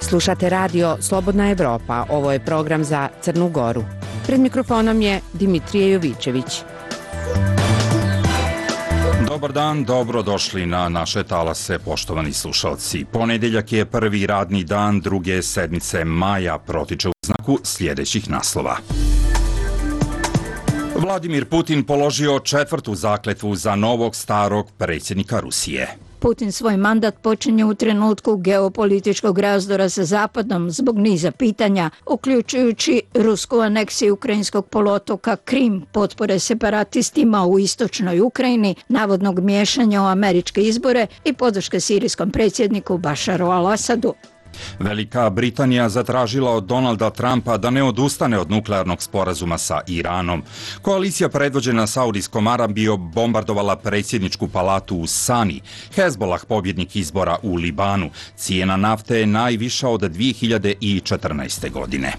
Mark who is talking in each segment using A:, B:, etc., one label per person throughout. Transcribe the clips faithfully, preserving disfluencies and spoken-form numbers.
A: Slušate radio Slobodna Evropa, ovo je program za Crnu Goru. Pred mikrofonom je Dimitrije Jovičević.
B: Dobar dan, dobro došli na naše talase, poštovani slušalci. Ponedeljak je prvi radni dan druge sedmice maja, protiče u znaku sljedećih naslova. Vladimir Putin položio četvrtu zakletvu za novog starog predsjednika Rusije.
C: Putin svoj mandat počinje u trenutku geopolitičkog razdora sa Zapadom zbog niza pitanja, uključujući rusku aneksiju ukrajinskog poluotoka Krim, potpore separatistima u istočnoj Ukrajini, navodnog miješanja u američke izbore i podrške sirijskom predsjedniku Bašaru al-Asadu.
B: Velika Britanija zatražila od Donalda Trumpa da ne odustane od nuklearnog sporazuma sa Iranom. Koalicija predvođena Saudijskom Arabijom bombardovala predsjedničku palatu u Sani. Hezbolah, pobjednik izbora u Libanu. Cijena nafte je najviša od dvije hiljade četrnaeste. godine.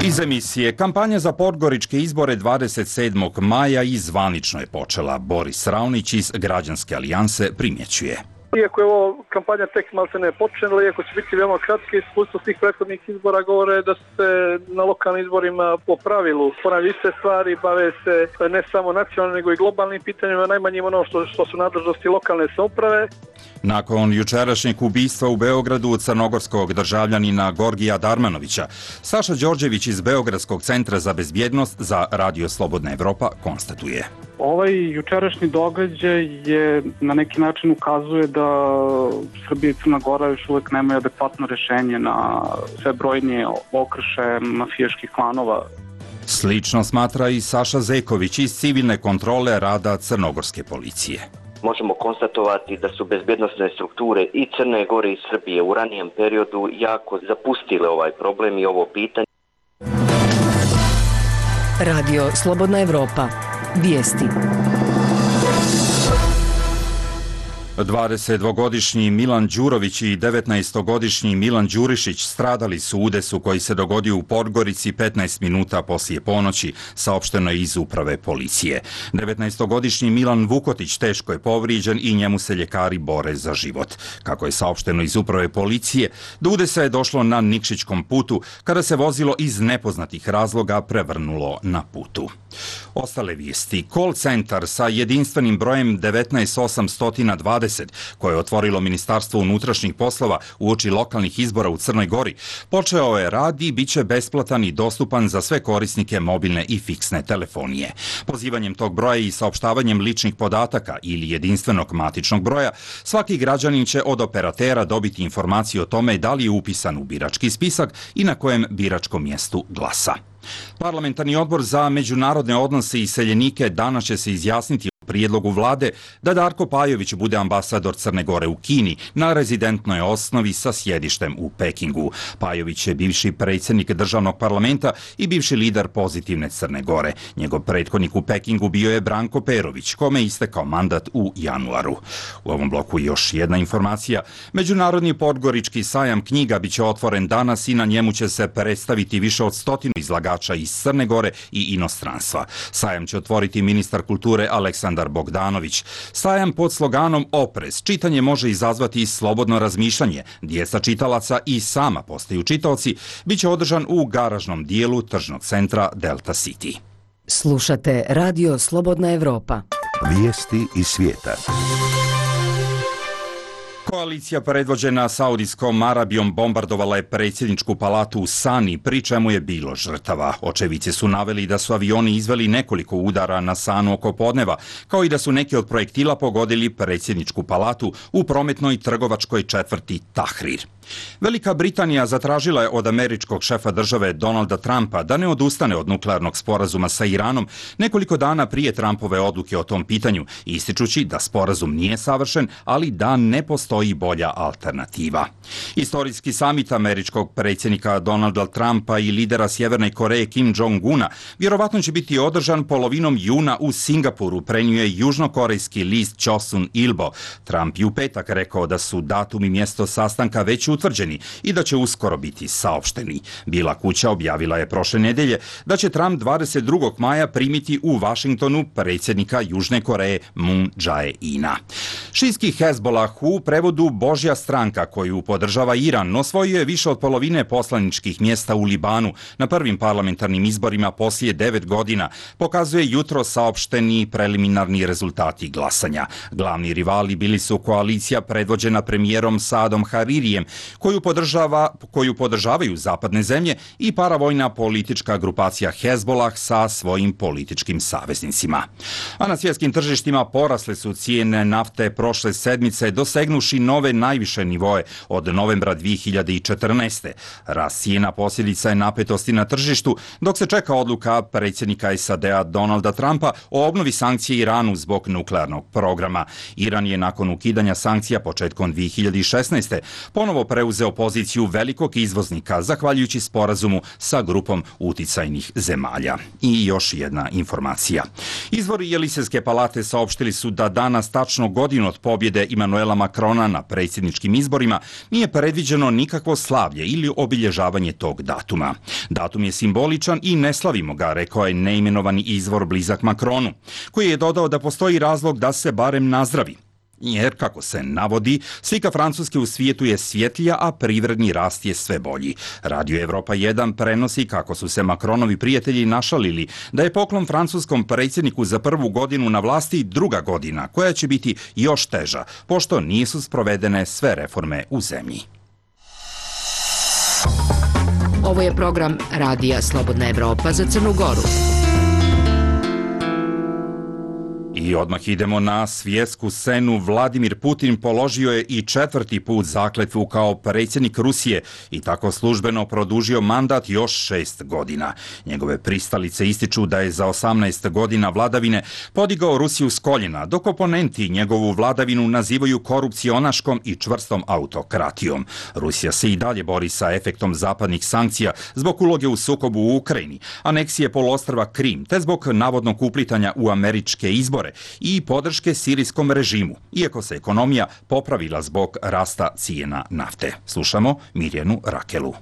B: Iz emisije, kampanja za podgoričke izbore dvadeset sedmog maja i zvanično je počela. Boris Raonić iz Građanske alijanse primjećuje.
D: Iako je ovo kampanja tek malte ne počela, iako će biti veoma kratke, iskustvo svih prethodnih izbora govore da se na lokalnim izborima po pravilu ponavljaju iste stvari, bave se ne samo nacionalnim nego i globalnim pitanjima, najmanjim ono što, što su nadležnosti lokalne samouprave.
B: Nakon jučerašnjeg ubistva u Beogradu crnogorskog državljanina Gorgija Darmanovića, Saša Đorđević iz Beogradskog centra za bezbjednost za Radio Slobodna Evropa konstatuje.
E: Ovaj jučerašnji događaj je na neki način ukazuje da Srbija i Crna Gora još uvijek nemaju adekvatno rješenje na sve brojnije okršaje mafijaških klanova.
B: Slično smatra i Saša Zeković iz civilne kontrole rada crnogorske policije.
F: Možemo konstatovati da su bezbjednosne strukture i Crne Gore i Srbije u ranijem periodu jako zapustile ovaj problem i ovo pitanje.
A: Radio Slobodna Evropa. Vijesti.
B: dvadesetdvogodišnji Milan Đurović i devetnaestogodišnji Milan Đurišić stradali su u udesu koji se dogodio u Podgorici petnaest minuta poslije ponoći, saopšteno je iz uprave policije. devetnaestogodišnji Milan Vukotić teško je povrijeđen i njemu se ljekari bore za život. Kako je saopšteno iz uprave policije, do udesa je došlo na Nikšićkom putu kada se vozilo iz nepoznatih razloga prevrnulo na putu. Ostale vijesti. Call centar sa jedinstvenim brojem devetnaest osamsto dvadeset koje je otvorilo Ministarstvo unutrašnjih poslova uoči lokalnih izbora u Crnoj Gori, počeo je rad i bit će besplatan i dostupan za sve korisnike mobilne i fiksne telefonije. Pozivanjem tog broja i saopštavanjem ličnih podataka ili jedinstvenog matičnog broja, svaki građanin će od operatera dobiti informaciju o tome da li je upisan u birački spisak i na kojem biračkom mjestu glasa. Parlamentarni odbor za međunarodne odnose i iseljenike danas će se izjasniti o prijedlogu vlade da Darko Pajović bude ambasador Crne Gore u Kini na rezidentnoj osnovi sa sjedištem u Pekingu. Pajović je bivši predsjednik državnog parlamenta i bivši lider Pozitivne Crne Gore. Njegov prethodnik u Pekingu bio je Branko Perović, kome je istekao mandat u januaru. U ovom bloku još jedna informacija. Međunarodni podgorički sajam knjiga biće otvoren danas i na njemu će se predstaviti više od stotinu izlagača iz Crne Gore i inostranstva. Sajam će otvoriti ministar kulture Aleksandar Bogdanović. Sajam pod sloganom Oprez. Čitanje može izazvati slobodno razmišljanje. Djeca čitalaca i sama postaju čitaoci. Biće održan u garažnom dijelu tržnog centra Delta City.
A: Slušate Radio Slobodna Evropa.
G: Vijesti iz svijeta.
B: Koalicija predvođena Saudijskom Arabijom bombardovala je predsjedničku palatu u Sani, pri čemu je bilo žrtava. Očevici su naveli da su avioni izveli nekoliko udara na Sanu oko podneva, kao i da su neki od projektila pogodili predsjedničku palatu u prometnoj trgovačkoj četvrti Tahrir. Velika Britanija zatražila je od američkog šefa države Donalda Trumpa da ne odustane od nuklearnog sporazuma sa Iranom nekoliko dana prije Trumpove odluke o tom pitanju, ističući da sporazum nije savršen, ali da ne postoji bolja alternativa. Istorijski samit američkog predsjednika Donalda Trumpa i lidera Sjeverne Koreje Kim Jong-una vjerovatno će biti održan polovinom juna u Singapuru, prenjuje južnokorejski list Chosun Ilbo. Trump je u petak rekao da su datum i mjesto sastanka već utvrđeni i da će uskoro biti saopšteni. Bijela kuća objavila je prošle nedelje da će Trump dvadeset drugog maja primiti u Vašingtonu predsjednika Južne Koreje Moon Jae-ina. Šijski Hezbolah, u prevodu prevodu Božja stranka koju podržava Iran osvojio je više od polovine poslaničkih mjesta u Libanu na prvim parlamentarnim izborima poslije devet godina, pokazuje jutro saopšteni preliminarni rezultati glasanja. Glavni rivali bili su koalicija predvođena premijerom Saadom Haririjem, koju, podržava, koju podržavaju zapadne zemlje, i paravojna politička grupacija Hezbolah sa svojim političkim saveznicima. A na svjetskim tržištima porasle su cijene nafte prošle sedmice, dosegnuši nove najviše nivoe od novembra dvije hiljade četrnaeste. Rast cijena posljedica je napetosti na tržištu, dok se čeka odluka predsjednika S A D-a Donalda Trumpa o obnovi sankcije Iranu zbog nuklearnog programa. Iran je nakon ukidanja sankcija početkom dvije hiljade šesnaeste. ponovo preuzeo poziciju velikog izvoznika, zahvaljujući sporazumu sa grupom uticajnih zemalja. I još jedna informacija. Izvori Jelisejske palate saopštili su da danas, tačno godinu od pobjede Emanuela Macrona na predsjedničkim izborima, nije predviđeno nikakvo slavlje ili obilježavanje tog datuma. Datum je simboličan i ne slavimo ga, rekao je neimenovani izvor blizak Macronu, koji je dodao da postoji razlog da se barem nazdravi. Jer, kako se navodi, slika Francuske u svijetu je svjetlija, a privredni rast je sve bolji. Radio Evropa jedan prenosi kako su se Macronovi prijatelji našalili da je poklon francuskom predsjedniku za prvu godinu na vlasti druga godina, koja će biti još teža, pošto nisu sprovedene sve reforme u zemlji.
A: Ovo je program Radija Slobodna Evropa za Crnu Goru.
B: I odmah idemo na svjetsku scenu. Vladimir Putin položio je i četvrti put zakletvu kao predsjednik Rusije i tako službeno produžio mandat još šest godina. Njegove pristalice ističu da je za osamnaest godina vladavine podigao Rusiju s koljena, dok oponenti njegovu vladavinu nazivaju korupcionaškom i čvrstom autokratijom. Rusija se i dalje bori sa efektom zapadnih sankcija zbog uloge u sukobu u Ukrajini, aneksije poluostrva Krim, te zbog navodnog uplitanja u američke izbore i podrške sirijskom režimu, iako se ekonomija popravila zbog rasta cijena nafte. Slušamo Mirjanu Rakelu.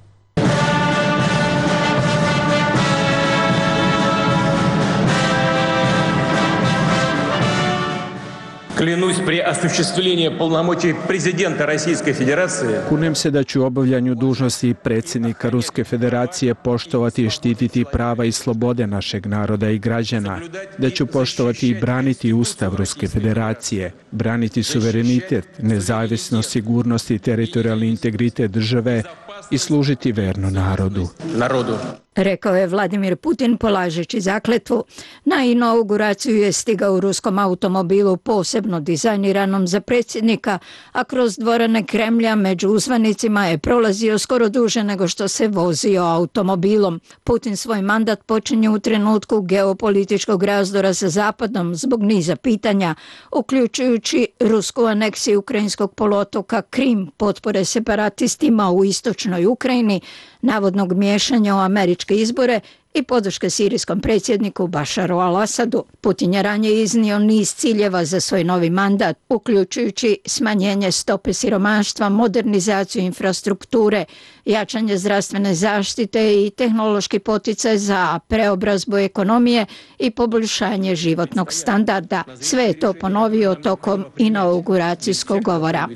H: Клянусь при осуществлении полномочий президента Российской Федерации.
I: Kunem se da ću u obavljanju dužnosti predsjednika Ruske Federacije poštovati i štititi prava i slobode našeg naroda i građana, da ću poštovati i braniti Ustav Ruske Federacije, braniti suverenitet, nezavisnost, sigurnost i teritorijalni integritet države i služiti verno narodu.
H: Народу.
C: Rekao je Vladimir Putin polažeći zakletvu. Na inauguraciju je stigao u ruskom automobilu posebno dizajniranom za predsjednika, a kroz dvorane Kremlja među uzvanicima je prolazio skoro duže nego što se vozio automobilom. Putin svoj mandat počinje u trenutku geopolitičkog razdora sa Zapadom zbog niza pitanja, uključujući rusku aneksiju ukrajinskog poluotoka Krim, potpore separatistima u istočnoj Ukrajini, navodnog miješanja u američke izbore i podrške sirijskom predsjedniku Bašaru al-Asadu. Putin je ranije iznio niz ciljeva za svoj novi mandat, uključujući smanjenje stope siromaštva, modernizaciju infrastrukture, jačanje zdravstvene zaštite i tehnološki poticaj za preobrazbu ekonomije i poboljšanje životnog standarda. Sve je to ponovio tokom inauguracijskog govora.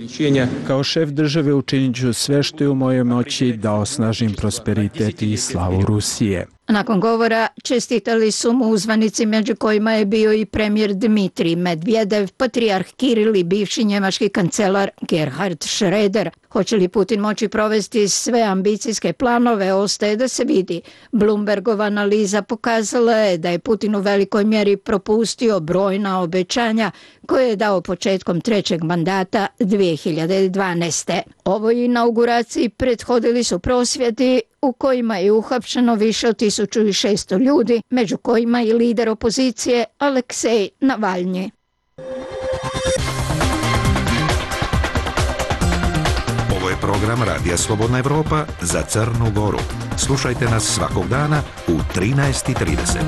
I: Kao šef države učinit ću sve što je u mojoj moći da osnažim prosperitet i slavu Rusije.
C: Nakon govora čestitali su mu uzvanici, među kojima je bio i premijer Dmitrij Medvedev, patrijarh Kiril i bivši njemački kancelar Gerhard Schröder. Hoće li Putin moći provesti sve ambicijske planove, ostaje da se vidi. Bloombergova analiza pokazala je da je Putin u velikoj mjeri propustio brojna obećanja koje je dao početkom trećeg mandata dvije hiljade dvanaeste. Ovoj inauguraciji prethodili su prosvjedi u kojima je uhapšeno više od tisuću šesto ljudi, među kojima i lider opozicije Aleksej Navalnji.
G: Ovo je program Radija Slobodna Evropa za Crnu Goru. Slušajte nas svakog dana u trinaest i trideset.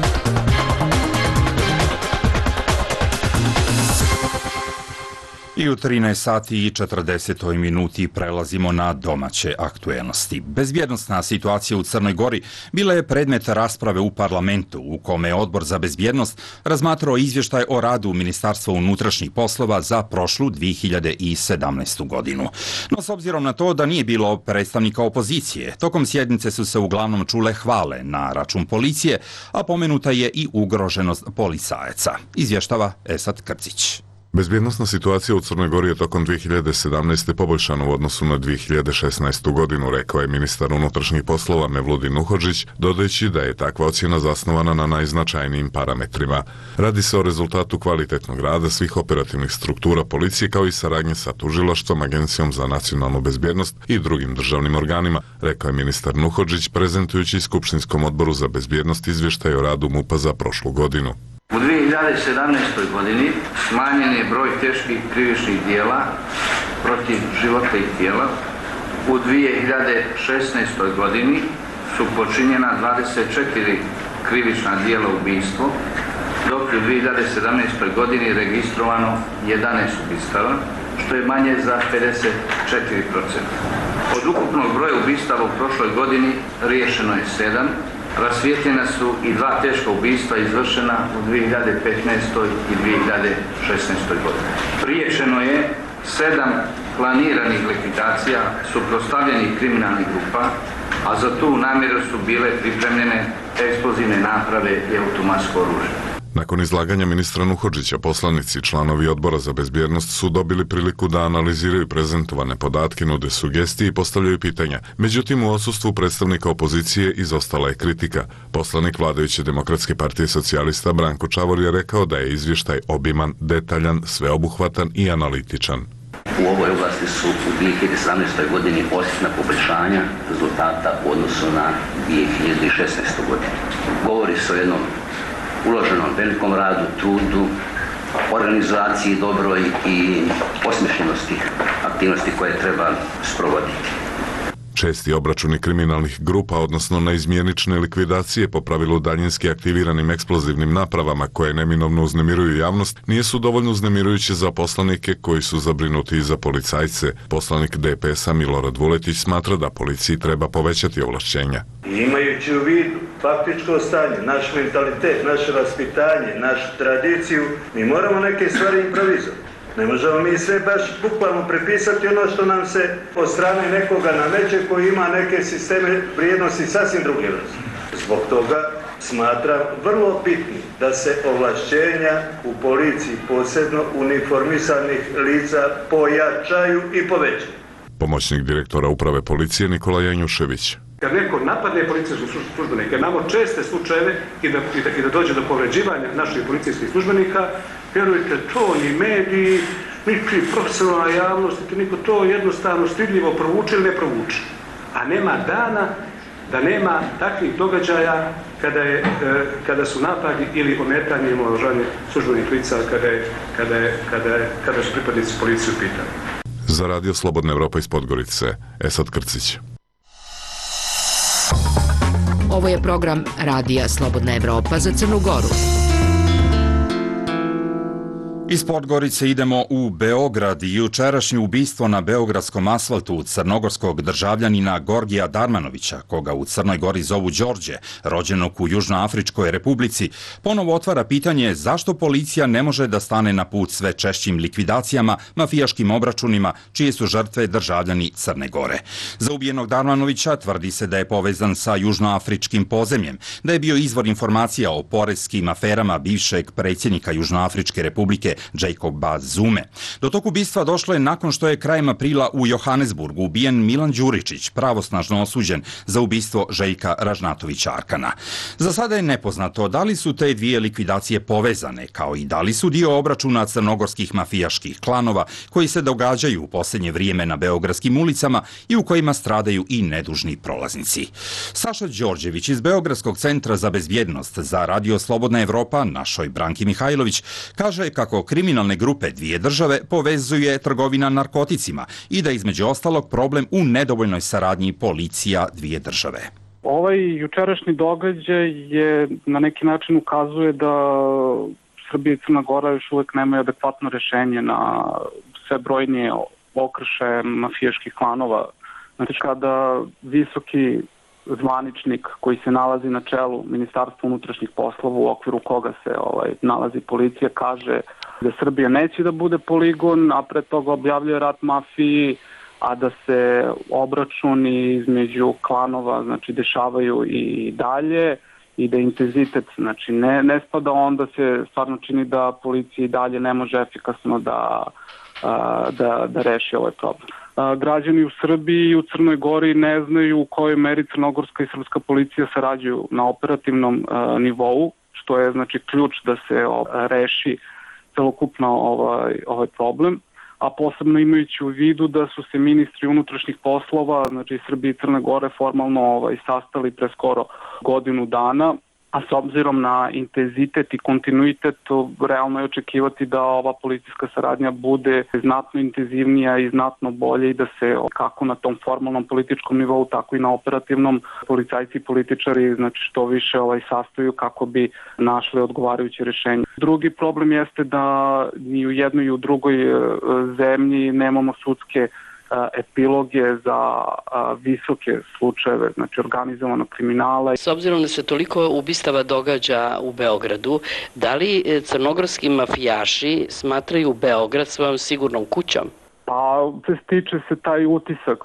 B: I u trinaest sati i četrdeset minuti prelazimo na domaće aktuelnosti. Bezbjednostna situacija u Crnoj Gori bila je predmet rasprave u parlamentu, u kome je Odbor za bezbjednost razmatrao izvještaj o radu Ministarstva unutrašnjih poslova za prošlu dvije hiljade sedamnaestu godinu. No s obzirom na to da nije bilo predstavnika opozicije, tokom sjednice su se uglavnom čule hvale na račun policije, a pomenuta je i ugroženost policajaca. Izvještava Esad Krcić.
J: Bezbjednosna situacija u Crnoj Gori je tokom dvije hiljade sedamnaeste. poboljšana u odnosu na dvije hiljade šesnaestu. godinu, rekao je ministar unutrašnjih poslova Mevludin Nuhodžić, dodajući da je takva ocjena zasnovana na najznačajnijim parametrima. Radi se o rezultatu kvalitetnog rada svih operativnih struktura policije kao i saradnje sa tužilaštvom, Agencijom za nacionalnu bezbjednost i drugim državnim organima, rekao je ministar Nuhodžić prezentujući Skupštinskom odboru za bezbjednost izvještaj o radu MUP-a za prošlu godinu.
K: U dvije hiljade sedamnaestoj. godini smanjen je broj teških krivičnih dijela protiv života i tijela. U dvije hiljade šesnaestoj. godini su počinjena dvadeset četiri krivična dijela ubijstvo, dok je u dvije hiljade sedamnaestoj. godini registrovano jedanaest ubistava, što je manje za pedeset četiri posto. Od ukupnog broja ubistava u prošloj godini riješeno je sedam, rasvijetljena su i dva teška ubistva izvršena u dvije hiljade petnaestoj. i dvije hiljade šesnaestoj. godini. Riješeno je sedam planiranih likvidacija suprotstavljenih kriminalnih grupa, a za tu namjeru su bile pripremljene eksplozivne naprave i automatsko oružje.
J: Nakon izlaganja ministra Nuhodžića, poslanici i članovi Odbora za bezbjednost su dobili priliku da analiziraju prezentovane podatke, nude sugestije i postavljaju pitanja. Međutim, u odsustvu predstavnika opozicije izostala je kritika. Poslanik vladajuće Demokratske partije socijalista Branko Čavor je rekao da je izvještaj obiman, detaljan, sveobuhvatan i analitičan.
L: U ovoj oblasti su u dvije hiljade sedamnaestoj. godini osjetna poboljšanja rezultata u odnosu na dvije hiljade šesnaestu. godinu. Govori se o jednom uloženom velikom radu, trudu, organizaciji dobroj i osmišljenosti aktivnosti koje treba sprovoditi.
J: Česti obračuni kriminalnih grupa, odnosno neizmjenične likvidacije po pravilu daljinski aktiviranim eksplozivnim napravama koje neminovno uznemiruju javnost, nisu dovoljno uznemirujuće za poslanike koji su zabrinuti i za policajce. Poslanik D P S-a Milorad Vuletić smatra da policiji treba povećati ovlašćenja.
M: Imajući u vidu faktičko stanje, naš mentalitet, naše vaspitanje, našu tradiciju, mi moramo neke stvari improvizovati. Ne možemo mi sve baš bukvalno prepisati ono što nam se od strane nekoga nameće koji ima neke sisteme vrijednosti sasvim druge vrste. Zbog toga smatram vrlo bitnim da se ovlašćenja u policiji, posebno uniformisanih lica, pojačaju i povećaju.
J: Pomoćnik direktora uprave policije Nikola Janjušević.
N: Kad neko napadne policijskog službenika, imamo česte slučajeve i da, i, da, i da dođe do povređivanja naših policijskih službenika, vjerujte, to ni mediji, niti profesionalna javnost, niti niko to jednostavno stidljivo provuče ili ne provuče. A nema dana da nema takvih događaja kada, je, kada su napadi ili ometanje i omalovažavanje službenih lica kada, je, kada, je, kada, je, kada su pripadnici policije u pitanju.
J: Za Radio Slobodna Evropa iz Podgorice, Esad Krcić.
A: Ovo je program Radija Slobodna Evropa za Crnu Goru.
B: Iz Podgorice idemo u Beograd i jučerašnje ubistvo na beogradskom asfaltu crnogorskog državljanina Gorgija Darmanovića, koga u Crnoj Gori zovu Đorđe, rođenog u Južnoafričkoj republici, ponovo otvara pitanje zašto policija ne može da stane na put sve češćim likvidacijama, mafijaškim obračunima, čije su žrtve državljani Crne Gore. Za ubijenog Darmanovića tvrdi se da je povezan sa južnoafričkim podzemljem, da je bio izvor informacija o poreskim aferama bivšeg predsjednika Južnoafričke republike Jacoba Zume. Do tog ubistva došlo je nakon što je krajem aprila u Johannesburgu ubijen Milan Đuričić, pravosnažno osuđen za ubistvo Željka Ražnatovića Arkana. Za sada je nepoznato da li su te dvije likvidacije povezane, kao i da li su dio obračuna crnogorskih mafijaških klanova koji se događaju u posljednje vrijeme na beogradskim ulicama i u kojima stradaju i nedužni prolaznici. Saša Đorđević iz Beogradskog centra za bezbjednost za Radio Slobodna Evropa, našoj Branki Mihajlović, kaže kako kriminalne grupe dvije države povezuje trgovina narkoticima i da između ostalog problem u nedovoljnoj saradnji policija dvije države.
E: Ovaj jučerašnji događaj je na neki način ukazuje da Srbija i Crna Gora još uvijek nemaju adekvatno rješenje na sve brojnije okrše mafijaških klanova. Znači kada visoki zvaničnik koji se nalazi na čelu Ministarstva unutrašnjih poslova u okviru koga se ovaj, nalazi policija kaže da Srbija neće da bude poligon, a pre toga objavljuje rat mafiji, a da se obračuni između klanova znači dešavaju i dalje i da intenzitet znači ne, ne spada, onda se stvarno čini da policija i dalje ne može efikasno da, da, da reši ovaj problem. Građani u Srbiji i u Crnoj Gori ne znaju u kojoj meri crnogorska i srpska policija sarađuju na operativnom nivou, što je znači ključ da se reši celokupno ovaj, ovaj problem, a posebno imajući u vidu da su se ministri unutrašnjih poslova, znači Srbije i Crne Gore formalno ovaj, sastali pre skoro godinu dana, a s obzirom na intenzitet i kontinuitet, realno je očekivati da ova policijska saradnja bude znatno intenzivnija i znatno bolje i da se kako na tom formalnom političkom nivou, tako i na operativnom policajci i političari znači što više ovaj, sastaju kako bi našli odgovarajuće rješenje. Drugi problem jeste da ni u jednoj i u drugoj zemlji nemamo sudske epiloge za visoke slučajeve, znači organizovanog kriminala.
O: S obzirom da se toliko ubistava događa u Beogradu, da li crnogorski mafijaši smatraju Beograd svojom sigurnom kućom?
E: Pa, stiče se taj utisak.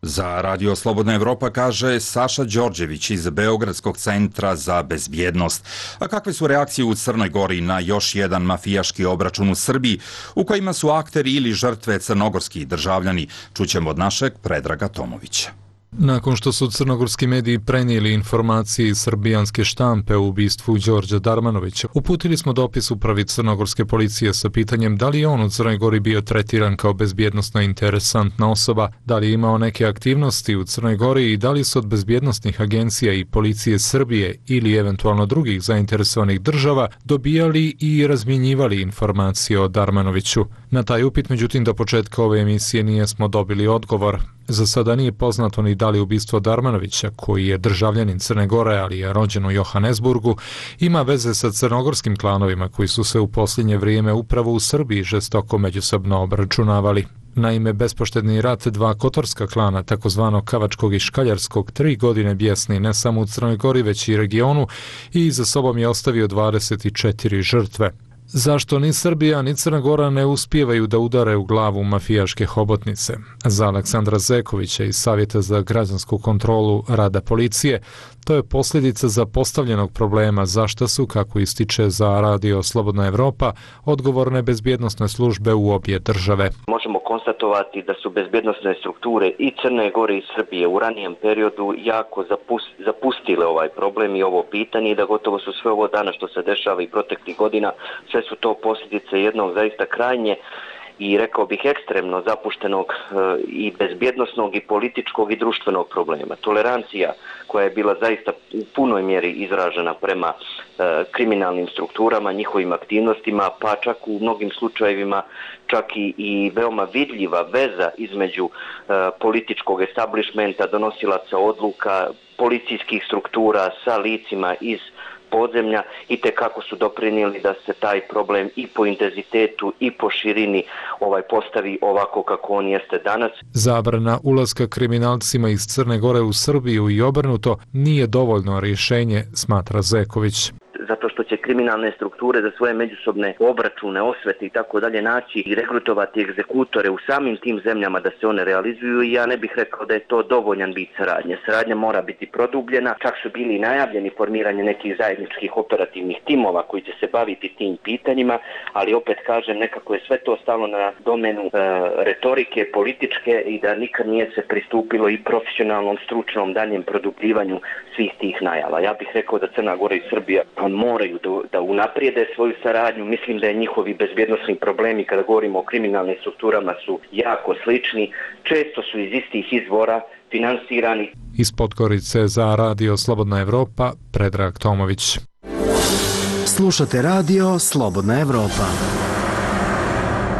B: Za Radio Slobodna Evropa kaže Saša Đorđević iz Beogradskog centra za bezbjednost. A kakve su reakcije u Crnoj Gori na još jedan mafijaški obračun u Srbiji u kojima su akteri ili žrtve crnogorski državljani? Čućemo od našeg Predraga Tomovića.
P: Nakon što su crnogorski mediji prenijeli informacije iz srbijanske štampe o ubistvu Đorđa Darmanovića, uputili smo dopis upravi crnogorske policije sa pitanjem da li je on u Crnoj Gori bio tretiran kao bezbjednosno interesantna osoba, da li je imao neke aktivnosti u Crnoj Gori i da li su od bezbjednosnih agencija i policije Srbije ili eventualno drugih zainteresovanih država dobijali i razmjenjivali informacije o Darmanoviću. Na taj upit, međutim, do početka ove emisije nijesmo dobili odgovor. Za sada nije poznato ni da li ubistvo Darmanovića, koji je državljanin Crne Gore, ali je rođen u Johannesburgu, ima veze sa crnogorskim klanovima koji su se u posljednje vrijeme upravo u Srbiji žestoko međusobno obračunavali. Naime, bespoštedni rat dva kotorska klana, takozvanog Kavačkog i Škaljarskog, tri godine bjesni ne samo u Crnoj Gori, već i regionu i za sobom je ostavio dvadeset četiri žrtve. Zašto ni Srbija ni Crna Gora ne uspijevaju da udare u glavu mafijaške hobotnice? Za Aleksandra Zekovića iz Savjeta za građansku kontrolu rada policije, to je posljedica zapostavljenog problema zašto su, kako ističe za Radio Slobodna Evropa, odgovorne bezbjednosne službe u obje države.
F: Možemo konstatovati da su bezbjednosne strukture i Crne Gore i Srbije u ranijem periodu jako zapustile ovaj problem i ovo pitanje i da gotovo su sve ovo dana što se dešava i proteklih godina, sve su to posljedice jednog zaista krajnje i rekao bih ekstremno zapuštenog i bezbjednosnog i političkog i društvenog problema. Tolerancija koja je bila zaista u punoj mjeri izražena prema kriminalnim strukturama, njihovim aktivnostima, pa čak u mnogim slučajevima čak i, i veoma vidljiva veza između političkog establishmenta, donosilaca odluka, policijskih struktura sa licima iz podzemlja i te kako su doprinijeli da se taj problem i po intenzitetu i po širini ovaj postavi ovako kako on jeste danas.
P: Zabrana ulaska kriminalcima iz Crne Gore u Srbiju i obrnuto nije dovoljno rješenje, smatra Zeković.
F: Zato što će kriminalne strukture za svoje međusobne obračune, osvete i tako dalje naći i rekrutovati egzekutore u samim tim zemljama da se one realizuju i ja ne bih rekao da je to dovoljan vid saradnje. Saradnja mora biti produbljena, čak su bili najavljeni formiranje nekih zajedničkih operativnih timova koji će se baviti tim pitanjima, ali opet kažem nekako je sve to stalo na domenu e, retorike, političke i da nikad nije se pristupilo i profesionalnom, stručnom daljem produbljivanju svih tih najava. Ja bih rekao da Crna Gora i Srbija moraju da, da unaprijede svoju saradnju. Mislim da je njihovi bezbjednosni problemi kada govorimo o kriminalnim strukturama su jako slični. Često su iz istih izvora finansirani.
P: Iz Podgorice za Radio Slobodna Evropa, Predrag Tomović.
Q: Slušate Radio Slobodna Evropa.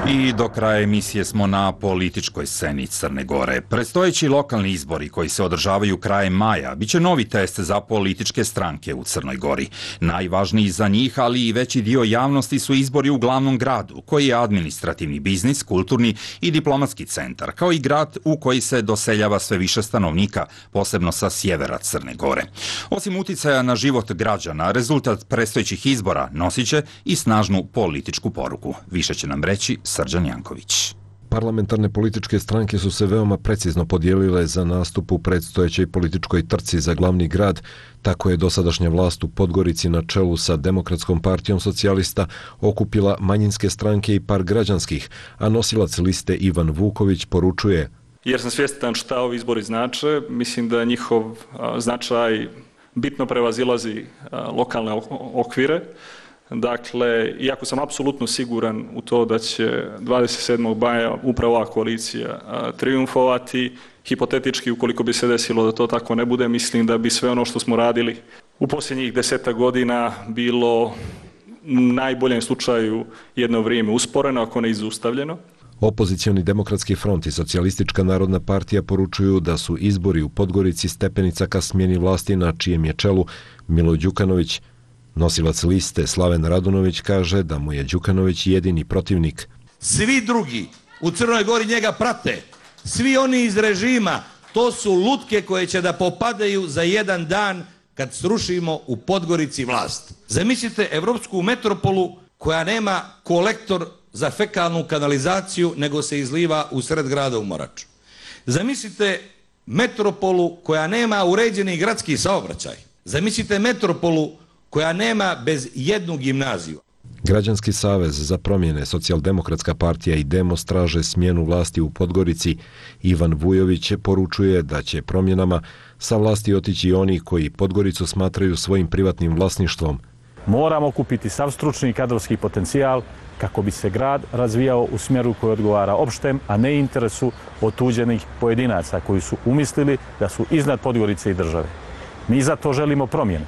B: I do kraja emisije smo na političkoj sceni Crne Gore. Predstojeći lokalni izbori koji se održavaju krajem maja biće novi test za političke stranke u Crnoj Gori. Najvažniji za njih, ali i veći dio javnosti su izbori u glavnom gradu, koji je administrativni biznis, kulturni i diplomatski centar, kao i grad u koji se doseljava sve više stanovnika, posebno sa sjevera Crne Gore. Osim uticaja na život građana, rezultat predstojećih izbora nosit će i snažnu političku poruku. Više će nam reći Srđan Janković.
Q: Parlamentarne političke stranke su se veoma precizno podijelile za nastup u predstojećoj političkoj trci za glavni grad. Tako je dosadašnja vlast u Podgorici na čelu sa Demokratskom partijom socijalista okupila manjinske stranke i par građanskih, a nosilac liste Ivan Vuković poručuje:
R: jer sam svjestan šta ovi izbori znače, mislim da njihov značaj bitno prevazilazi lokalne okvire. Dakle, iako sam apsolutno siguran u to da će dvadeset sedmog maja upravo ova koalicija triumfovati, hipotetički, ukoliko bi se desilo da to tako ne bude, mislim da bi sve ono što smo radili u posljednjih desetak godina bilo u najboljem slučaju jedno vrijeme usporeno, ako ne izustavljeno.
Q: Opozicioni Demokratski front i Socijalistička narodna partija poručuju da su izbori u Podgorici stepenica ka smjeni vlasti na čijem je čelu Milo Đukanović. Nosilac liste Slaven Radunović kaže da mu je Đukanović jedini protivnik.
S: Svi drugi u Crnoj Gori njega prate, svi oni iz režima, to su lutke koje će da popadaju za jedan dan kad srušimo u Podgorici vlast. Zamislite evropsku metropolu koja nema kolektor za fekalnu kanalizaciju, nego se izliva u sred grada u Moraču. Zamislite metropolu koja nema uređeni gradski saobraćaj. Zamislite metropolu koja nema bez jednu gimnaziju.
Q: Građanski savez za promjene, Socijaldemokratska partija i Demos traže smjenu vlasti u Podgorici. Ivan Vujović poručuje da će promjenama sa vlasti otići oni koji Podgoricu smatraju svojim privatnim vlasništvom.
T: Moramo kupiti sav stručni i kadrovski potencijal kako bi se grad razvijao u smjeru koji odgovara opštem, a ne interesu otuđenih pojedinaca koji su umislili da su iznad Podgorice i države. Mi za to želimo promjene,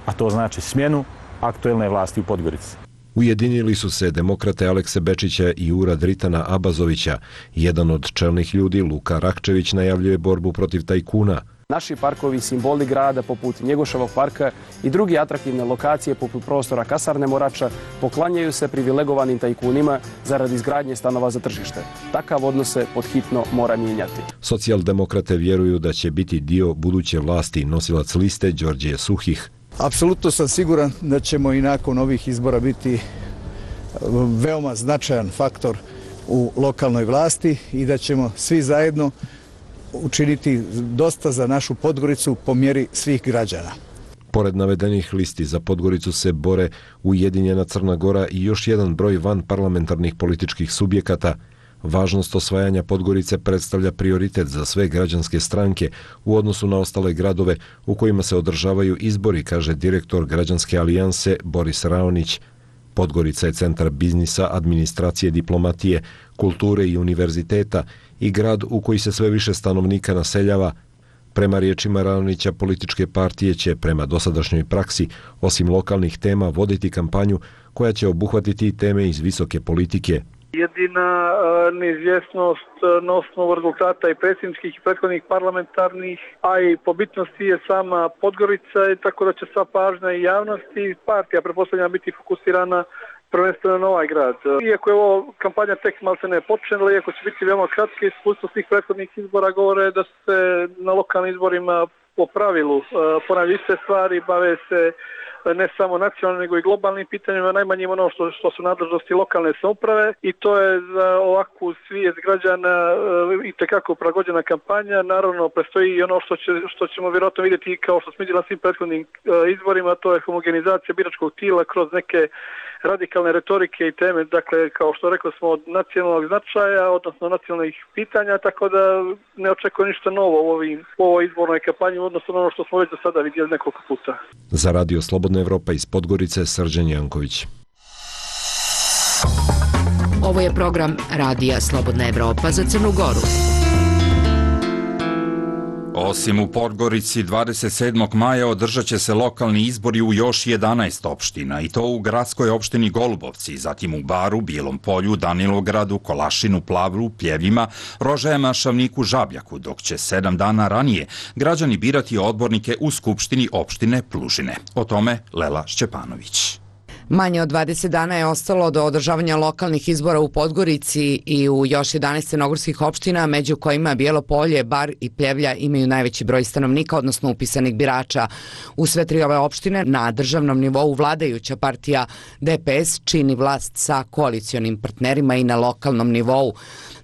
T: a to znači smjenu aktuelne vlasti u Podgorici.
Q: Ujedinili su se demokrate Alekse Bečića i Ura Dritana Abazovića. Jedan od čelnih ljudi, Luka Rakčević, najavljuje borbu protiv tajkuna.
U: Naši parkovi, simboli grada poput Njegoševog parka i drugi atraktivne lokacije poput prostora kasarne Morača poklanjaju se privilegovanim tajkunima zarad izgradnje stanova za tržište. Takav odnos se podhitno mora mijenjati.
Q: Socijaldemokrate vjeruju da će biti dio buduće vlasti. Nosilac liste Đorđe Suhih.
V: Apsolutno sam siguran da ćemo i nakon ovih izbora biti veoma značajan faktor u lokalnoj vlasti i da ćemo svi zajedno učiniti dosta za našu Podgoricu po mjeri svih građana.
Q: Pored navedenih listi za Podgoricu se bore Ujedinjena Crna Gora i još jedan broj van parlamentarnih političkih subjekata. Važnost osvajanja Podgorice predstavlja prioritet za sve građanske stranke u odnosu na ostale gradove u kojima se održavaju izbori, kaže direktor Građanske alijanse Boris Raonić. Podgorica je centar biznisa, administracije, diplomatije, kulture i univerziteta i grad u koji se sve više stanovnika naseljava. Prema riječima Raonića, političke partije će prema dosadašnjoj praksi, osim lokalnih tema, voditi kampanju koja će obuhvatiti teme iz visoke politike.
D: Jedina neizvjesnost na osnovu rezultata i predsjedničkih i prethodnih parlamentarnih, a i po bitnosti je sama Podgorica, tako da će sva pažnja i javnosti i partija pretpostavljam biti fokusirana prvenstveno na ovaj grad. Iako je ovo kampanja tek malce ne počela, iako će biti veoma kratke, iskustvo svih prethodnih izbora govore da se na lokalnim izborima po pravilu ponavljaju iste stvari, bave se ne samo nacionalnim nego i globalnim pitanjima, najmanje ono što, što su nadležnosti lokalne samouprave i to je za ovakvu svijest građana i tekako prilagođena kampanja. Naravno, prestoji i ono što, će, što ćemo vjerojatno vidjeti kao što smo vidjeli na svim prethodnim izborima, to je homogenizacija biračkog tijela kroz neke radikalne retorike i teme, dakle, kao što rekao smo, od nacionalnog značaja, odnosno nacionalnih pitanja, tako da ne očekujem ništa novo u, ovim, u ovoj izbornoj kampanji, odnosno ono što smo već do sada vidjeli nekoliko puta.
Q: Za Radio Slobodna Evropa iz Podgorice, Srđan Janković.
A: Ovo je program Radija Slobodna Evropa za Crnu Goru.
B: Osim u Podgorici, dvadeset sedmog maja održat će se lokalni izbori u još jedanaest opština, i to u gradskoj opštini Golubovci, zatim u Baru, Bijelom Polju, Danilovgradu, Kolašinu, Plavlu, Pljevljima, Rožajama, Šavniku, Žabljaku, dok će sedam dana ranije građani birati odbornike u Skupštini opštine Plužine. O tome Lela Šćepanović.
A: Manje od dvadeset dana je ostalo do održavanja lokalnih izbora u Podgorici i u još jedanaest crnogorskih opština, među kojima Bijelo Polje, Bar i Pljevlja imaju najveći broj stanovnika, odnosno upisanih birača. U sve tri ove opštine na državnom nivou vladajuća partija D P S čini vlast sa koalicionim partnerima i na lokalnom nivou.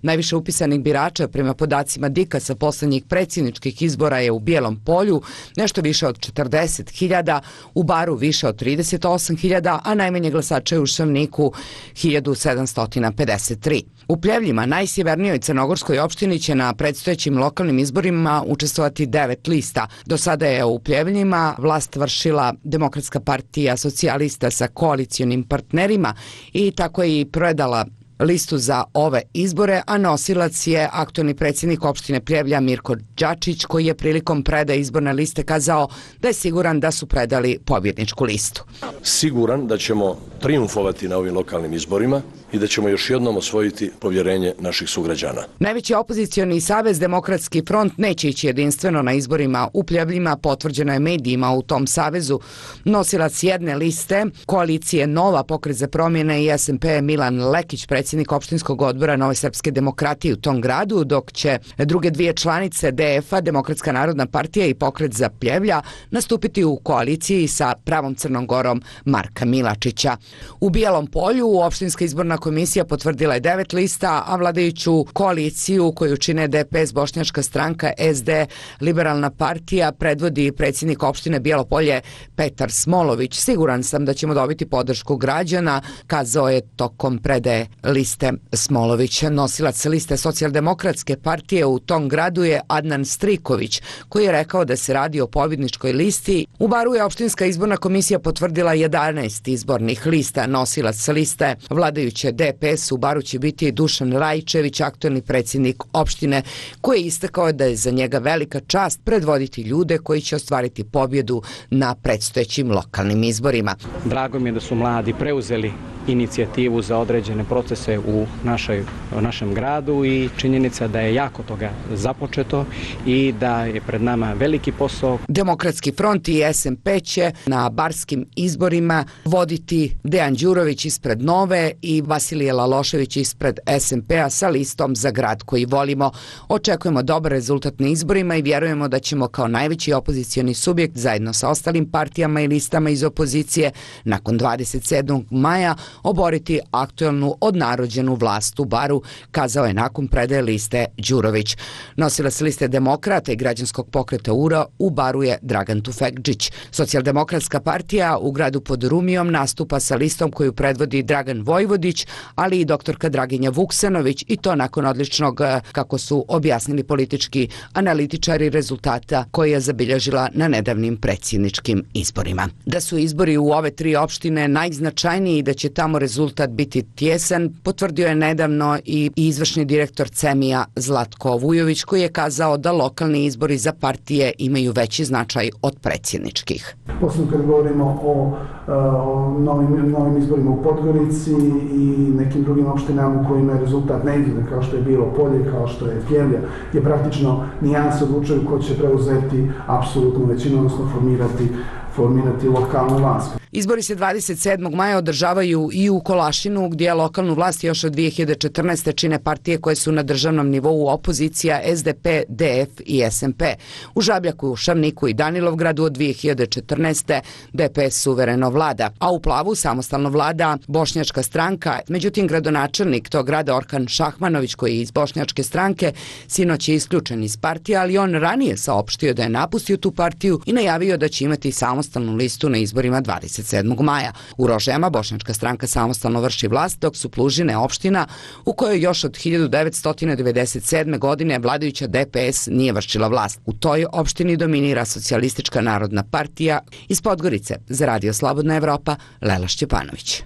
A: Najviše upisanih birača prema podacima Dika sa poslednjih predsjedničkih izbora je u Bijelom Polju, nešto više od četrdeset hiljada, u Baru više od trideset osam hiljada, a najmanje glasača je u Šavniku hiljadu sedamsto pedeset tri. U Pljevljima, najsjevernijoj crnogorskoj opštini, će na predstojećim lokalnim izborima učestvovati devet lista. Do sada je u Pljevljima vlast vršila Demokratska partija socijalista sa koalicionim partnerima i tako je i predala listu za ove izbore, a nosilac je aktualni predsjednik opštine Pljevlja Mirko Đačić, koji je prilikom predaje izborne liste kazao da je siguran da su predali pobjedničku listu.
H: Siguran da ćemo triumfovati na ovim lokalnim izborima i da ćemo još jednom osvojiti povjerenje naših sugrađana.
A: Najveći opozicioni savez Demokratski front neće ići jedinstveno na izborima u Pljevljima, potvrđeno je medijima u tom savezu. Nosilac jedne liste koalicije Nova, Pokret za promjene i S N P Milan Lekić, predsjednik opštinskog odbora Nove srpske demokratije u tom gradu, dok će druge dvije članice D F-a, Demokratska narodna partija i Pokret za Pljevlja, nastupiti u koaliciji sa Pravom Crnom Gorom Marka Milačića. U Bijelom Polju opštinska izborna komisija potvrdila je devet lista, a vladajuću koaliciju koju čine D P S, Bošnjačka stranka, S D, Liberalna partija, predvodi predsjednik opštine Bijelo Polje Petar Smolović. Siguran sam da ćemo dobiti podršku građana, kazao je tokom predaje liste Smolović. Nosilac liste Socijaldemokratske partije u tom gradu je Adnan Striković, koji je rekao da se radi o pobjedničkoj listi. U Baru je opštinska izborna komisija potvrdila jedanaest izbornih lista. Nosilac liste vladajuće D P S u Baru će biti Dušan Rajčević, aktualni predsjednik opštine, koji je istakao da je za njega velika čast predvoditi ljude koji će ostvariti pobjedu na predstojećim lokalnim izborima.
I: Drago mi je da su mladi preuzeli inicijativu za određene procese u našoj, našem gradu i činjenica da je jako toga započeto i da je pred nama veliki posao.
A: Demokratski front i S N P će na barskim izborima voditi Dejan Đurović ispred Nove i Vasilije Lalošević ispred S N P-a sa listom Za grad koji volimo. Očekujemo dobar rezultat na izborima i vjerujemo da ćemo kao najveći opozicioni subjekt zajedno sa ostalim partijama i listama iz opozicije nakon dvadeset sedmog maja oboriti aktualnu odnarođenu vlast u Baru, kazao je nakon predaje liste Đurović. Nosilac liste Demokrata i građanskog pokreta U R A u Baru je Dragan Tufekđić. Socijaldemokratska partija u gradu pod Rumijom nastupa sa listom koju predvodi Dragan Vojvodić, ali i doktorka Draginja Vuksanović, i to nakon odličnog, kako su objasnili politički analitičari, rezultata koje je zabilježila na nedavnim predsjedničkim izborima. Da su izbori u ove tri opštine najznačajniji i da će tamo rezultat biti tjesan, potvrdio je nedavno i izvršni direktor Cemija Zlatko Vujović, koji je kazao da lokalni izbori za partije imaju veći značaj od predsjedničkih.
W: Posebno kad govorimo o, o novim, novim izborima u Podgorici i nekim drugim opštinama u kojima je rezultat neizvjedan, kao što je Bijelo Polje, kao što je Pljevlja, je praktično nijanse odlučuju ko će preuzeti apsolutnu većinu, odnosno formirati formirati lokalnu vlast.
A: Izbori se dvadeset sedmog maja održavaju i u Kolašinu, gdje lokalnu vlast još od dvije hiljade četrnaeste. čine partije koje su na državnom nivou opozicija S D P, D F i S N P. U Žabljaku, Šavniku i Danilovgradu od dvije hiljade četrnaeste. D P S suvereno vlada, a u Plavu samostalno vlada Bošnjačka stranka. Međutim, gradonačelnik tog grada Orkan Šahmanović, koji je iz Bošnjačke stranke, sinoć je isključen iz partije, ali on ranije saopštio da je napustio tu partiju i najavio da će imati samostalnu listu na izborima dvadeset sedmog maja. U Rožajama Bošnjačka stranka samostalno vrši vlast, dok su Plužine opština u kojoj još od hiljadu devetsto devedeset sedme. godine vladajuća D P S nije vršila vlast. U toj opštini dominira Socijalistička narodna partija. Iz Podgorice za Radio Slobodna Evropa, Lela Šćepanović.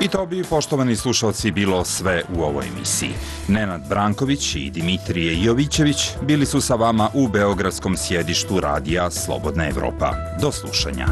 B: I to bi, poštovani slušalci, bilo sve u ovoj emisiji. Nenad Branković i Dimitrije Jovićević bili su sa vama u beogradskom sjedištu radija Slobodna Evropa. Do slušanja.